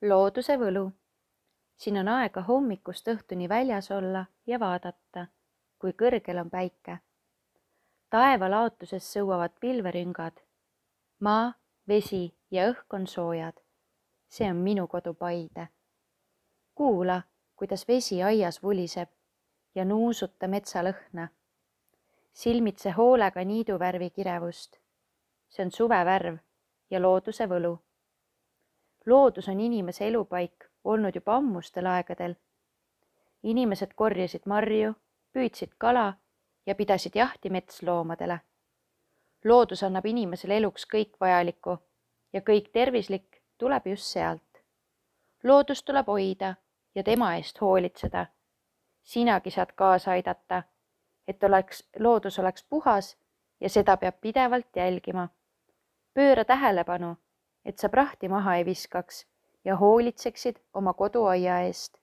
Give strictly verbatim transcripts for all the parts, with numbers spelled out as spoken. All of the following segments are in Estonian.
looduse võlu. Siin on aega hommikust õhtuni väljas olla ja vaadata, kui kõrgel on päike. Taeva laotuses sõuavad pilverüngad. Maa, vesi ja õhk on soojad. See on minu kodu Paide. Kuula, kuidas vesi aias vuliseb ja nuusuta metsalõhna. Silmitse hoolega niiduvärvi kirevust. See on suvevärv ja looduse võlu. Loodus on inimese elupaik olnud juba ammustel aegadel. Inimesed korjasid marju, püüdsid kala ja pidasid jahti metsloomadele. Loodus annab inimesele eluks kõik vajalikku ja kõik tervislik tuleb just sealt. Loodust tuleb hoida ja tema eest hoolitseda. Sinagi saad kaasa aidata, et oleks, loodus oleks puhas ja seda peab pidevalt jälgima. Pööra tähelepanu, et sa prahti maha ei viskaks ja hoolitseksid oma koduaia eest.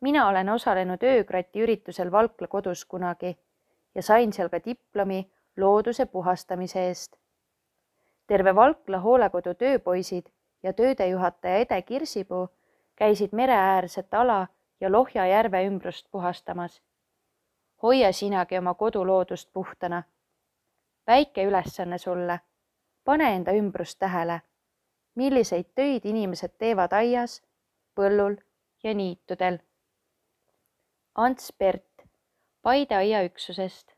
Mina olen osalenud öökrati üritusel Valkla kodus kunagi ja sain seal ka diplomi looduse puhastamise eest. Terve Valkla hoolekodu tööpoisid ja töödejuhataja Ede Kirsipuu käisid mereäärset ala ja Lohja järve ümbrust puhastamas. Hoia sinagi oma koduloodust puhtana. Väike ülesanne sulle. Pane enda ümbrust tähele. Milliseid töid inimesed teevad aias, põllul ja niitudel. Ants Pert, Paide aiaüksusest.